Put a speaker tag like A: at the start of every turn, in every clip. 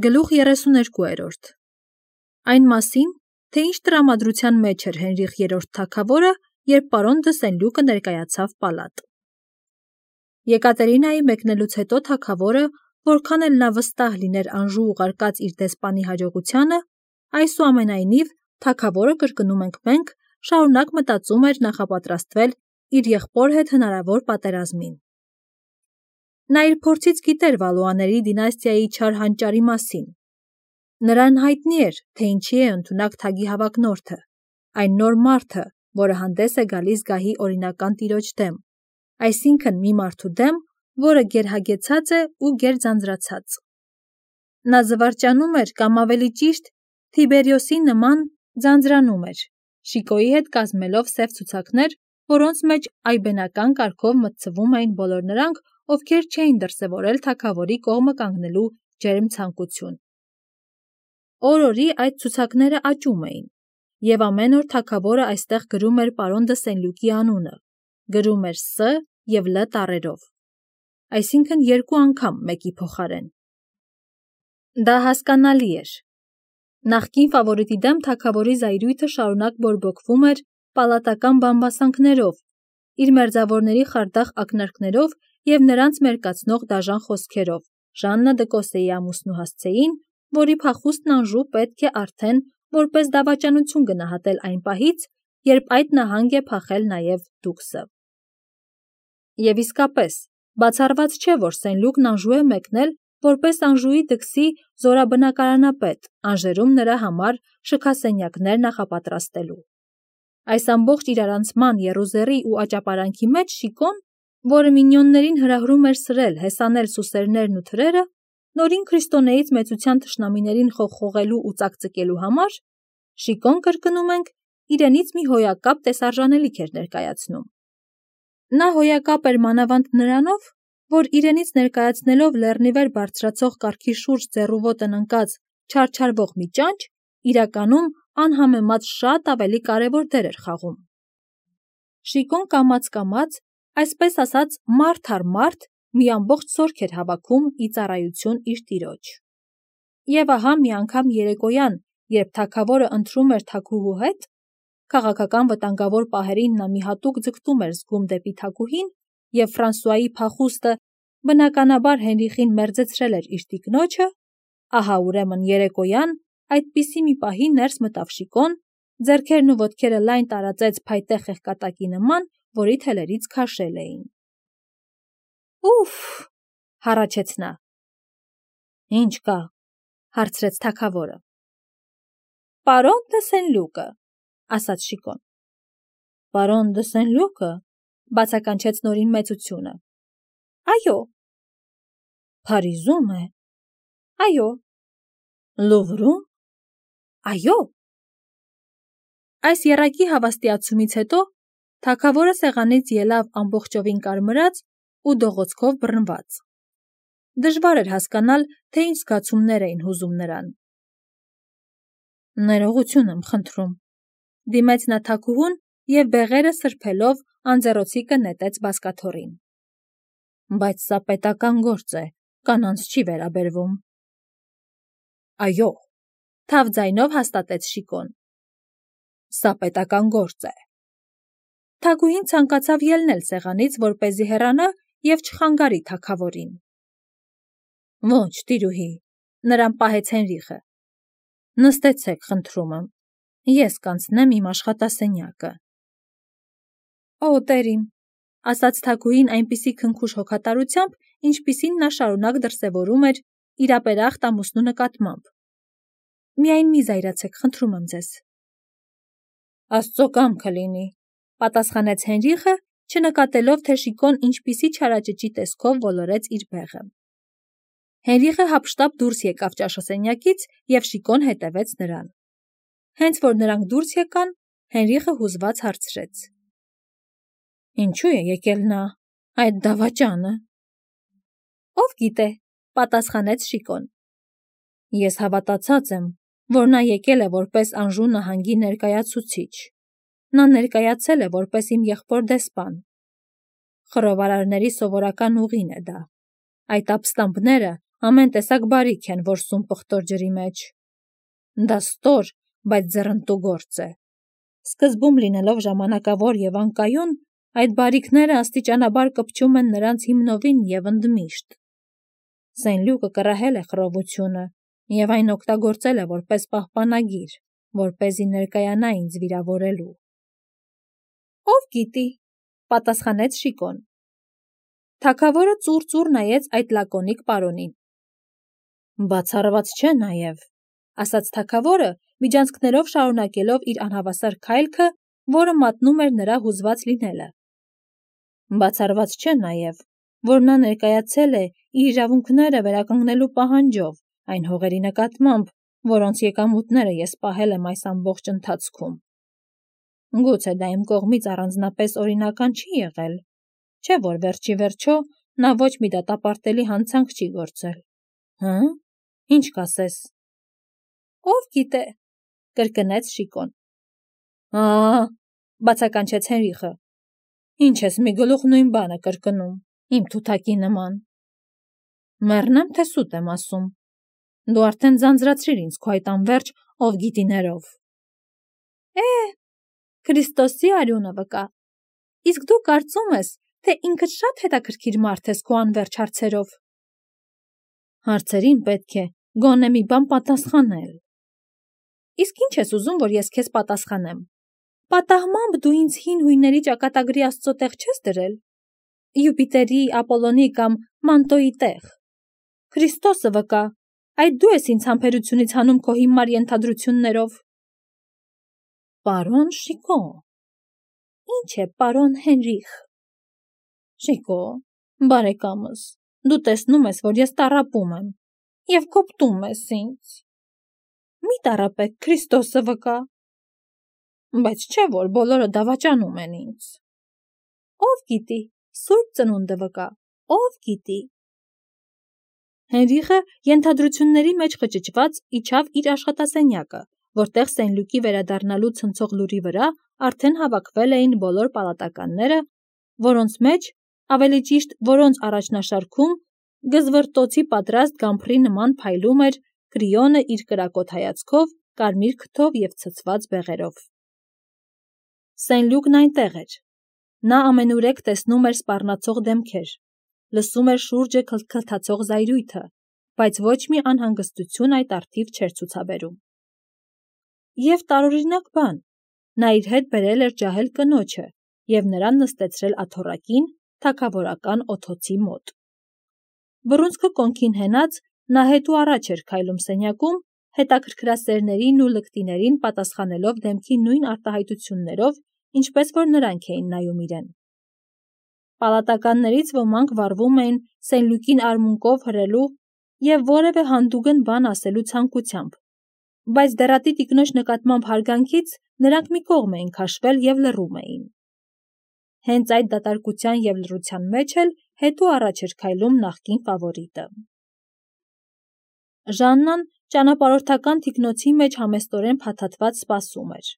A: Գլուխ 32 Այն մասին, թե ինչ տրամադրության մեջ էր Հենրիխ III թագավորը, երբ պարոն դը Սենլյուկը ներկայացավ պալատ։ Եկատերինայի մեկնելուց հետո թագավորը, որքան էլ նա վստահ լիներ Անժու ուղարկած իր դեսպանի հաջողությանը, այսուամենայնիվ թագավորը, կրկնում ենք մենք, շարունակ մտածում էր նախապատրաստվել իր եղբոր հետ հնարավոր պատերազմին։ Նա իր փորձից գիտեր Վալուաների դինաստիայի չար հանճարի մասին։ Նրան հայտնի էր, թե ինչի է ընդունակ թագի հավակնորդը, այն նոր մարդը, որը հանդես է գալիս գահի օրինական տիրոջ դեմ, այսինքն մի մարդու դեմ, որը գերհագեցած է ու գերձանձրացած։ Նա զվարճանում էր կամ ավելի ճիշտ Թիբերիոսի նման ձանձրանում էր, Շիկոյի հետ կազմելով սև ցուցակներ, որոնց մեջ այբենական կարգով մտցվում էին բոլոր նրանք, ովքեր չէին դրսևորել թագավորի կողմը կանգնելու ջերմ ցանկություն։ Օր-օրի այդ ցուցակները աճում էին, եւ ամեն օր թագավորը այստեղ գրում էր պարոն դը Սենլյուկի անունը, գրում էր Ս եւ Լ տառերով, այսինքն 2 անգամ մեկի փոխարեն։ Դա հասկանալի էր։ Նախկին ֆավորիտի դեմ թագավորի զայրույթը շարունակ բորբոքվում էր պալատական բամբասանքներով, իր մերձավորների խարդախ ակնարկներով և նրանց մերկացնող դաժան խոսքերով Ժաննա դը Կոսեի ամուսնու հասցեին, որի փախուստն Անժու պետք է արդեն որպես դավաճանություն գնահատել այն պահից, երբ այդ նահանգ է փախել նաև Դուքսը։ Եվ իսկապես, բացառված չէ, որ Սենլյուկն Անժու է մեկնել որպես Անժուի դքսի զորաբնակարանապետ, Անժերում նրա համար շքասենյակներ նախապատրաստելու։ Այս ամբողջ իրարանցման եռուզեռի ու աճապարանքի մեջ Շիկոն, որը մինյոններին հրահրում էր սրել, հեսանել սուսերներն ու թրերը, նորին քրիստոնեից մեծության թշնամիներին խողխողելու ու ծակծկելու համար, Շիկոն, կրկնում ենք, իրենից մի հոյակապ տեսարժանելիք էր ներկայացնում։ Նա հոյակապ էր մանավանդ նրանով, որ իրենից ներկայացնելով լեռնիվեր բարձրացող կառքի շուրջ ձեռուոտն ընկած չարչարվող մի ճանճ, իրականում անհամեմատ շատ ավելի կարևոր դեր էր խաղում։ Շիկոն կամաց-կամաց, այսպես ասած մարդ առ մարդ, մի ամբողջ զորք էր հավաքում ի ծառայություն իր տիրոջ։ Եվ ահա մի անգամ երեկոյան, երբ թագավորը ընթրում էր թագուհու հետ, քաղաքական վտանգավոր պահերին նա մի հատուկ ձգտում էր զգում դեպի թագուհին, և Ֆրանսուայի փախուստը բնականաբար Հենրիխին մերձեցրել էր իր տիկնոջը, ահա ուրեմն երեկոյան այդպիսի մի պահի ներս մտավ Շիկոն, ձեռքերն ու ոտքերը լայն տարածեց փայտե խեղկատակի նման, որի թելերից քաշել էին։ Ուֆ, հառաչեց նա։ Ինչ կա, հարցրեց թագավորը։ Պարոն դը Սենլյուկը, ասաց Շիկոն։ Պարոն դը Սենլյուկը, բացականչեց նորին մեծությունը։ Այո։ Փարիզում է։ Այո։ Լուվրում։ Այո։ Այս եռակի հավաստիացումից հետո թագավորը սեղանից ելավ ամբողջովին կարմրած ու դողոցքով բռնված։ Դժվար էր հասկանալ, թե ինչ զգացումներ էին հուզում նրան։ Ներողություն եմ խնդրում, դիմեց նա թագուհուն և բեղերը սրբելով անձեռոցիկը նետեց բազկաթոռին։ Բայց սա պետական գործ է, կանանց չի վերաբերվում։ Այո, թավ ձայնով հաստատեց Շիկոն։ Սա պետական գործ է։ Թագուհին ցանկացավ ելնել սեղանից, որպեսզի հեռանա և չխանգարի թագավորին։ Ոչ, տիրուհի, նրան պահեց Հենրիխը։ Նստեցեք, խնդրում եմ, ես կանցնեմ իմ աշխատասենյակը։ Օ, տերիմ, ասաց թագուհին այնպիսի քնքուշ հոգատարությամբ, ինչպիսին նա շարունակ դրսևորում էր իր ապերախտ ամուսնու նկատմամբ։ Միայն մի զայրացեք, խնդրում եմ ձեզ։ Աստծո կամքը լինի, պատասխանեց Հենրիխը, չնկատելով, թե Շիկոն ինչպիսի չարաճճի տեսքով ոլորեց իր բեղը։ Հենրիխը հափշտապ դուրս եկավ ճաշասենյակից, և Շիկոն հետևեց նրան։ Հենց որ նրանք դուրս եկան, Հենրիխը հուզված հարցրեց. Ինչու է եկել նա, այդ դավաճանը։ Ով գիտե, պատասխանեց Շիկոն։ Ես հավատացած եմ, որ նա եկել է որպես Անժու նահանգի ներկայացուցիչ։ Նա ներկայացել է որպես իմ եղբոր դեսպան։ Խռովարարների սովորական ուղին է դա։ Այդ ապստամբները ամեն տեսակ բարիք են, որ սում պղտոր ջրի մեջ։ Դա ստոր, բայց ձեռնտու գործ է։ Սկզբում լինելով ժամանակավոր և անկայուն, այդ բարիքները աստիճանաբար կպչում են նրանց հիմնովին և ընդմիշտ։ Սենլյուկը կռահել է խռովությունը և այն օգտագործել է որպես պահպանագիր, որպեսզի ներկայանա ինձ վիրավորելու։ Ով գիտի, պատասխանեց Շիկոն։ Թագավորը ծուռ նայեց այդ լակոնիկ պարոնին։ Բացառված չէ նաև, ասաց թագավորը, միջանցքներով շարունակելով իր անհավասար քայլքը, որը մատնում էր նրա հուզված լինելը։ Բացառված չէ նաև, որ նա ներկայացել է իր իրավունքները վերականգնելու պահանջով այն հողերի նկատմամբ, որոնց եկամուտները ես պահել եմ այս ամբողջ ընթացքում։ Գուցե դա իմ կողմից առանձնապես օրինական չի եղել, չէ՞ որ վերջի վերջո նա ոչ մի դատապարտելի հանցանք չի գործել։ Հը՞, ինչ կասես։ Ով գիտե, կրկնեց Շիկոն։ Բացականչեց Հենրիխը։ Ինչ ես մի գլուխ նույն բանը կրկնում, իմ թութակի նման։ Մեռնեմ, թե սուտ եմ ասում։ Դու արդեն ձանձրացրիր ինձ քո այդ անվերջ ով գիտիներով։ Քրիստոսի արյունը վկա։ Իսկ դու կարծում ես, թե ինքդ շատ հետաքրքիր մարդ ես քո անվերջ հարցերով։ Հարցերին պետք է գոնե մի բան պատասխանել։ Իսկ ինչ ես ուզում, որ ես քեզ պատասխանեմ։ Պատահմամբ դու ինձ հին հույների ճակատագրի աստծո տեղ չես դրել։ Յուպիտերի, Ապոլոնի կամ Մանտոյի տեղ։ Քրիստոսը վկա, այդ դու ես ինձ համբերությունից հանում քո հիմար ենթադրություններով։ Պարոն Շիկո։ Ինչ է, պարոն Հենրիխ։ Շիկո, բարեկամս, դու տեսնում ես, որ ես տառապում եմ և կոպտում ես ինձ։ Մի տառապեք, Քրիստոսը վկա։ Բայց չէ, որ բոլորը դավաճանում են ինձ։ Ով գիտի, Սուրբ Ծնունդը վկա, ով գիտի։ Հենրիխը ենթադրությունների մեջ խճճված իջավ իր աշխատասենյակը, որտեղ Սենլյուկի վերադառնալու ցնցող լուրի վրա արդեն հավաքվել էին բոլոր պալատականները, որոնց մեջ, ավելի ճիշտ, որոնց առաջնաշարքում գզվռտոցի պատրաստ գամփրի նման փայլում էր Կրիոնը իր կրակոտ հայացքով, կարմիր քթով և ցցված բեղերով։ Սենլյուկն այնտեղ էր։ Նա ամենուրեք տեսնում էր սպառնացող դեմքեր, լսում էր շուրջը քլթքլթացող զայրույթը, բայց ոչ մի անհանգստություն այդ առթիվ չէր ցուցաբերում։ Եվ տարօրինակ բան, նա իր հետ բերել էր ջահել կնոջը և նրան նստեցրել աթոռակին թագավորական օդոցի մոտ։ Բռունցքը կոնքին հենած, նա հետ ու առաջ էր քայլում սենյակում, հետաքրքրասերներին ու լկտիներին պատասխանելով դեմքի նույն արտահայտություններով, ինչպես որ նրանք էին նայում իրեն։ Պալատականներից ոմանք վառվում էին Սենլյուկին արմունկով հրելու և որևէ հանդուգն բան ասելու ցանկությամբ, բայց դեռատի տիկնոջ նկատմամբ հարգանքից նրանք մի կողմ էին քաշվել և լռում էին։ Հենց այդ դատարկության և լռության մեջ էլ հետ ու առաջ էր քայլում նախկին ֆավորիտը։ Ժաննան ճանապարհորդական թիկնոցի մեջ համեստորեն փաթաթված սպասում էր։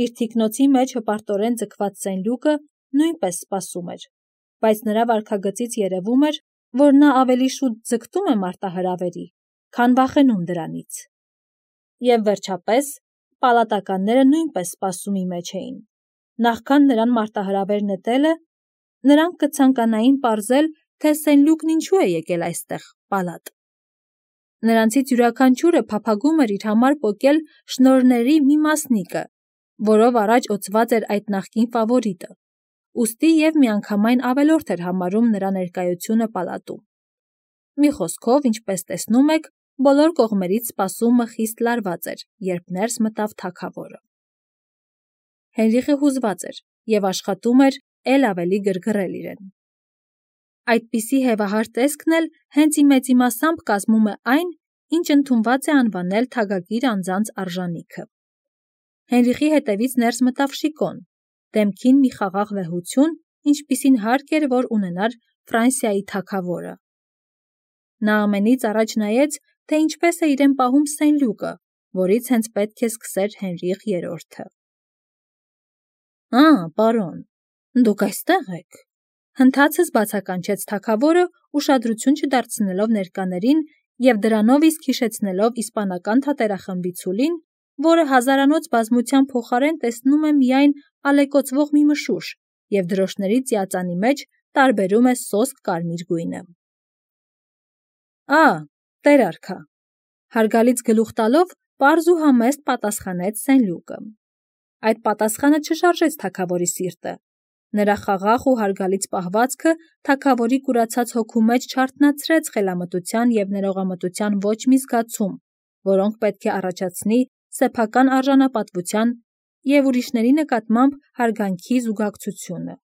A: Իր թիկնոցի մեջ հպարտորեն ձգված Սենլյուկը նույնպես սպասում էր, բայց նրա վարքագծից երևում էր, որ նա ավելի շուտ ձգտում է մարտահրավերի, քան վախենում դրանից։ Եվ վերջապես, պալատականները նույնպես սպասումի մեջ էին։ Նախքան նրան մարտահրավեր նետելը, նրանք կցանկանային պարզել, թե Սենլյուկն ինչու է եկել այստեղ, պալատ։ Նրանցից յուրաքանչյուրը փափագում էր իր համար պոկել շնորհների մի մասնիկը, որով առաջ օծված էր այդ նախկին ֆավորիտը, ուստի և միանգամայն ավելորդ էր համարում նրա ներկայությունը պալատում։ Մի խոսքով, ինչպես տեսնում եք, բոլոր կողմերից սպասումը խիստ լարված էր, երբ ներս մտավ թագավորը։ Հենրիխը հուզված էր և աշխատում էր էլ ավելի գրգռել իրեն։ Այդպիսի հևահար տեսքն էլ հենց մեծիմասամբ կազմում է այն, ինչ ընդունված է անվանել թագագիր անձանց արժանիքը։ Հենրիխի հետևից ներս մտավ Շիկոն, դեմքին մի խաղաղ վեհություն, ինչպիսին հարկ էր, որ ունենար Ֆրանսիայի թագավորը։ Նա ամենից առաջ նայեց, թե ինչպես է իրեն պահում Սենլյուկը, որից հենց պետք է սկսեր Հենրիխ III-ը։ Պարոն, դուք այստեղ եք։ Հնդացս բացականչեց թագավորը, ուշադրություն չդարձնելով ներկաներին և դրանով իսկ հիշեցնելով իսպանական թատերախմբի ցուլին, որը հազարանոց բազմության փոխարեն տեսնում է միայն ալեկոծվող մի մշուշ և դրոշների ծիածանի մեջ տարբերում է սոսկ կարմիր գույնը։ Տեր արքա, հարգալից գլուխ տալով պարզ ու համեստ պատասխանեց Սենլյուկը։ Այդ պատասխանը չշարժեց թագավորի սիրտը։ Նրա խաղաղ ու հարգալից պահվածքը թագավորի կուրացած հոգու մեջ չարթնացրեց խելամտության և ներողամտության ոչ մի զգացում, որոնք պետք է առաջացնի սեփական արժանապատվության և ուրիշների նկատմամբ հարգանքի զուգակցությունը։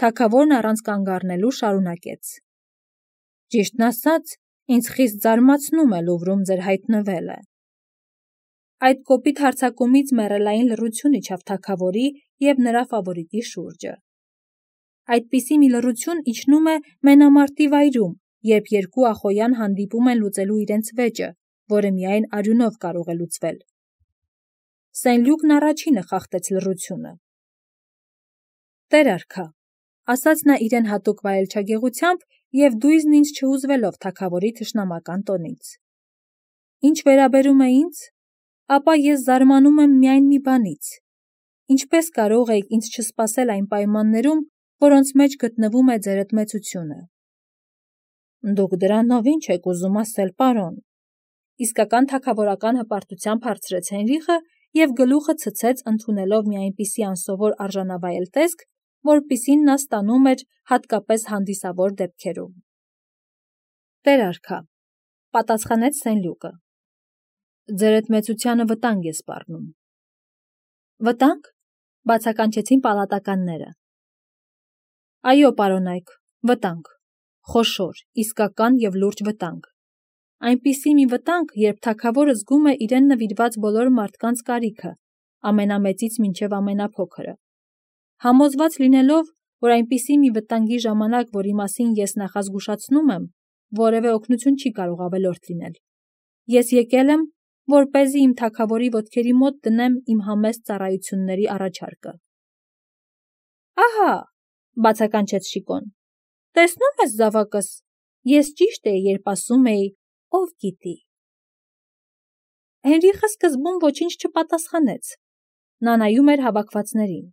A: Թագավորն առանց կանգ առնելու շարունակեց. «Ճիշտն ասած, ինձ խիստ զարմացնում է Լուվրում ձեր հայտնվելը»։ Այդ կոպիտ հարձակումից մեռելային լռություն իջավ թագավորի և նրա ֆավորիտի շուրջը։ Այդպիսի մի լռություն իջնում է մենամարտի վայրում, երբ երկու ախոյան հանդիպում են լուծելու իրենց վեճը, որը միայն արյունով կարող է լուծվել։ Սենլյուկն առաջինը խախտեց լռությունը։ «Տեր արքա», ասաց նա իրեն հատուկ վայելչագեղությամբ և դույզն ինձ չհուզվելով թագավորի թշնամական տոնից։ «Ինչ վերաբերում է ինձ, ապա ես զարմանում եմ միայն մի բանից. ինչպես կարող էիք ինձ չսպասել այն պայմաններում, որոնց մեջ գտնվում է ձերդ մեծությունը»։ «Դուք դրանով ինչ եք ուզում ասել, պարոն»։ Իսկական թագավորական հպարտությամբ հարցրեց Հենրիխը և գլուխը ցցեց, ընդունելով մի այնպիսի անսովոր արժանավայել տեսք, որպիսին նա ստանում էր հատկապես հանդիսավոր դեպքերում։ «Տեր արքա», պատասխանեց Սենլյուկը, «ձերդ մեծությանը վտանգ է սպառնում»։ «Վտանգ», բացականչեցին պալատականները։ «Այո, պարոնայք, վտանգ, խոշոր, իսկական և լուրջ վտանգ։ Այնպիսի մի վտանգ, երբ թագավորը զգում է իրեն նվիրված բոլոր մարդկանց կարիքը, ամենամեծից մինչև ամենափոքրը։ Համոզված լինելով, որ այնպիսի մի վտանգի ժամանակ, որի մասին ես նախազգուշացնում եմ, որևէ օգնություն չի կարող ավելորդ լինել, ես եկել եմ, որպեսզի իմ թագավորի ոտքերի մոտ դնեմ իմ համեստ ծառայությունների առաջարկը»։ «Ահա», բացականչեց Շիկոն, «տեսնում ես, զավակս, ես ճիշտ էի, երբ ասում էի, ով գիտի»։ Հենրիխը սկզբում ոչինչ չպատասխանեց։ Նա նայում էր հավաքվածներին։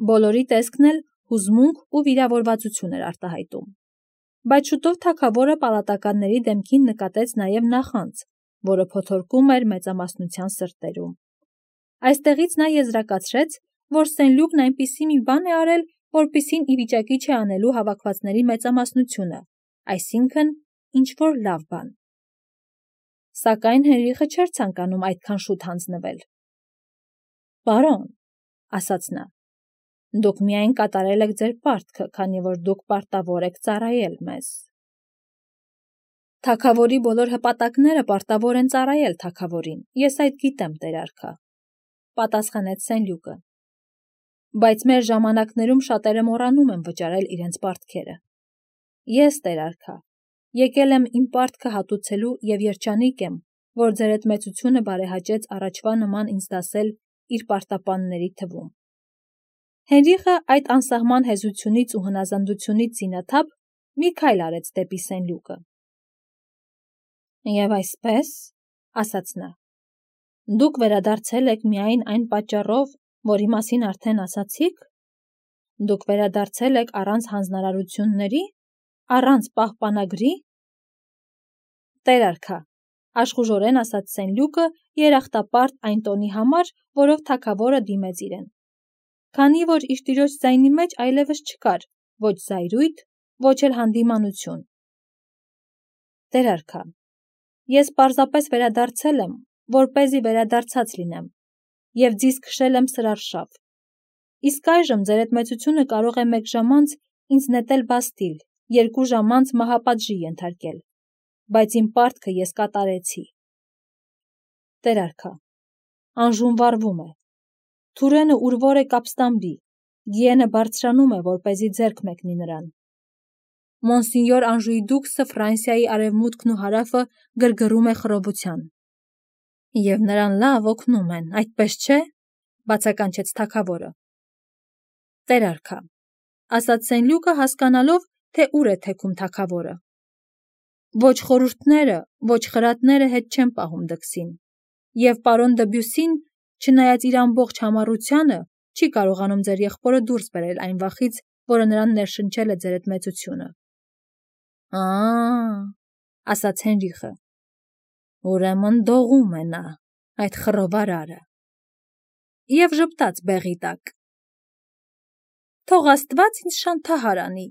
A: Բոլորի տեսքն էլ հուզմունք ու վիրավորվածություն էր արտահայտում։ Բայց շուտով թագավորը պալատականների դեմքին նկատեց նաև նախանձ, որը փոթորկում էր մեծամասնության սրտերում։ Այստեղից նա եզրակացրեց, որ Սենլյուկն այնպիսի մի բան է արել, որպիսին ի վիճակի չէ անելու հավաքվածների մեծամասնությունը, այսինքն ինչ-որ լավ բան։ Սակայն Հենրիխը չէր ցանկանում այդքան շուտ հանձնվել։ «Պարոն», ասաց նա, «դուք միայն կատարել եք ձեր պարտքը, քանի որ դուք պարտավոր եք ծառայել մեզ»։ «Թագավորի բոլոր հպատակները պարտավոր են ծառայել թագավորին, ես այդ գիտեմ, Տեր արքա», պատասխանեց Սենլյուկը։ «Բայց մեր ժամանակներում շատերը մոռանում են վճարել իրենց պարտքերը։ Ես, Տեր արքա, եկել եմ իմ պարտքը հատուցելու և երջանիկ եմ, որ ձերդ մեծությունը բարեհաճեց առաջվա նման ինձ դասել իր պարտապանների թվում»։ Հենրիխը այդ անսահման հեզությունից ու հնազանդությունից զինաթափ մի քայլ արեց դեպի Սենլյուկը։ «Եվ այսպես, ասաց նա, դուք վերադարձել եք միայն այն պատճառով, որի մասին արդեն ասացիք։ Դուք վերադարձել եք առանց հանձնարարությունների, առանց պահպանագրի»։ «Տեր արքա», աշխուժորեն ասաց Սենլյուկը, երախտապարտ այն տոնի համար, որով թագավորը դիմեց իրեն, քանի որ իր տիրոջ ձայնի մեջ այլևս չկար ոչ զայրույթ, ոչ էլ հանդիմանություն։ «Տեր արքա, ես պարզապես վերադարձել եմ, որպեսզի վերադարձած լինեմ, և ձիզ քշել եմ սրարշավ։ Իսկ այժմ ձերդ մեծությունը կարող է մեկ ժամ անց ինձ նետել բաստիլ, 2 ժամ անց մահապատժի ենթարկել, բայց իմ պարտքը ես կատարեցի»։ «Տեր արքա, Անժուն վառվում է, Թուրենը ուր-որ է կապստամբի, Գիենը բարձրանում է, որպեսզի ձեռք մեկնի նրան։ Մոնսինյոր Անժուի դուքսը Ֆրանսիայի արևմուտքն ու հարավը գրգռում է խռովության։ Եվ նրան լավ օգնում են, այդպես չէ», բացականչեց թագավորը։ «Տեր արքա, ասաց Սենլյուկը հասկանալով, թե ուր է թեքում թագավորը։ Ոչ խորհուրդները, ոչ խրատները հետ չեն պահում դքսին, և պարոն Դբյուսին, չնայած իր ամբողջ համառությանը, չի կարողանում ձեր եղբորը դուրս բերել այն վախից, որը նրան ներշնչել է ձեր այդ մեծությունը։ Ասաց Հենրիխը, ուրեմն դողում է նա, այդ խռովարարը, և ժպտաց բեղի տակ։ Թող Աստված ինձ շանթահար անի,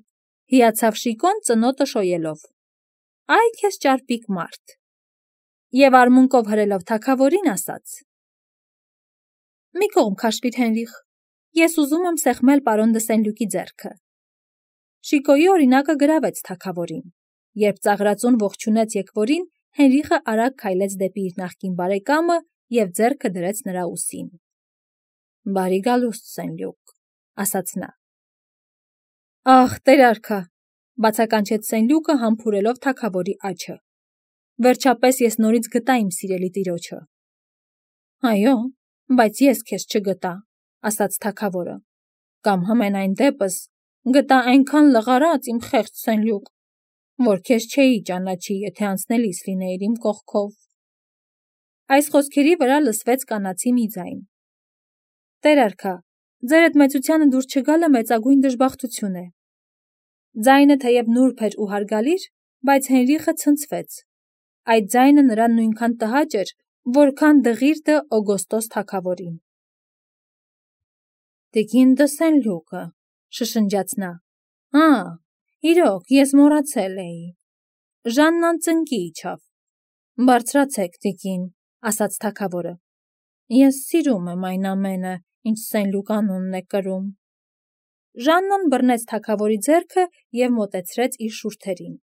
A: հիացավ Շիկոն ծնոտը շոյելով։ Այ քեզ ճարպիկ մարդ։ Եվ արմունկով հրելով թագավորին ասաց. Մի կողմ քաշվիր Հենրիխ, ես ուզում եմ սեղմել պարոն դը Սենլյուկի ձեռքը։ Շիկոյի օրինակը գրավեց թագավորին, երբ ծաղրածուն ողջունեց եկվորին, Հենրիխը արագ քայլեց դեպի իր նախկին բարեկամը և ձեռքը դրեց նրա ուսին։ Բարի գալուստ, Սենլյուկ, ասաց նա։ Ահ, տեր արքա, բացականչեց Սենլյուկը համբուրելով թագավորի աջը։ Վերջապես ես նորից գտա իմ սիրելի տիրոջը։ Այո, բայց ես քեզ չգտա, ասաց թագավորը, կամ համենայն դեպս գտա այնքան լղարած իմ խեղճ Սենլյուկ, որ քեզ չէի ճանաչի, եթե անցնելիս լինեիր իմ կողքով։ Այս խոսքերի վրա լսվեց կանացի մի ձայն։ Տեր արքա, ձեր այդ մեծությանը դուր չգալը մեծագույն դժբախտություն է։ Ձայնը թեև նուրբ էր ու հարգալիր, բայց Հենրիխը ցնցվեց։ Այդ ձայնը նրան նույնքան տհաճ էր, որքան դղիրդը Օգոստոս թագավորին։ Տիկին դը Սենլյուկը, շշնջաց նա։ Իրոք, ես մոռացել էի։ Ժաննան ծնկի իջավ։ Բարձրացեք, տիկին, ասաց թագավորը։ Ես սիրում եմ այն ամենը, ինչ Սենլյուկ անունն է կրում։ Ժաննան բռնեց թագավորի ձեռքը և մոտեցրեց իր շուրթերին։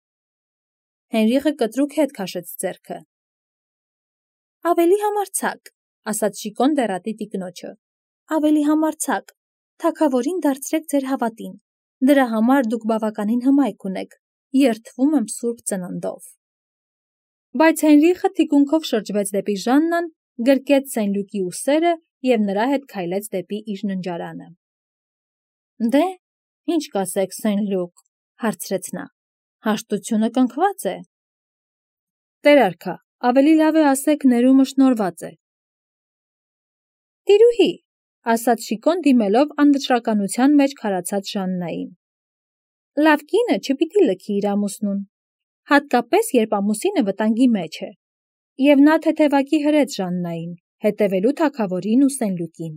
A: Հենրիխը կտրուկ հետ քաշեց ձեռքը։ Ավելի համարձակ, ասաց Շիկոն դեռատի տիկնոջը։ Ավելի համարձակ, թագավորին դարձրեք ձեր հավատին։ Դրա համար դուք բավականին հմայք ունեք, երդվում եմ սուրբ ծննդով։ Բայց Հենրիխը թիկունքով շրջվեց դեպի Ժաննան, գրկեց Սենլյուկի ուսերը և նրա հետ քայլեց դեպի իր ննջարանը։ Դե, ինչ կասեք, Սենլյուկ, հարցրեց նա, հաշտությունը կնքված է։ Տեր արքա, ավելի լավ է ասեք ներումը շնորհված է։ Տիրուհի, ասաց Շիկոն դիմելով անվճռականության մեջ քարացած Ժաննային։ Լավ կինը չպիտի լքի իր ամուսնուն, հատկապես երբ ամուսինը վտանգի մեջ է։ Եվ նա թեթևակի հրեց Ժաննային, հետևելու թագավորին ու Սենլյուկին։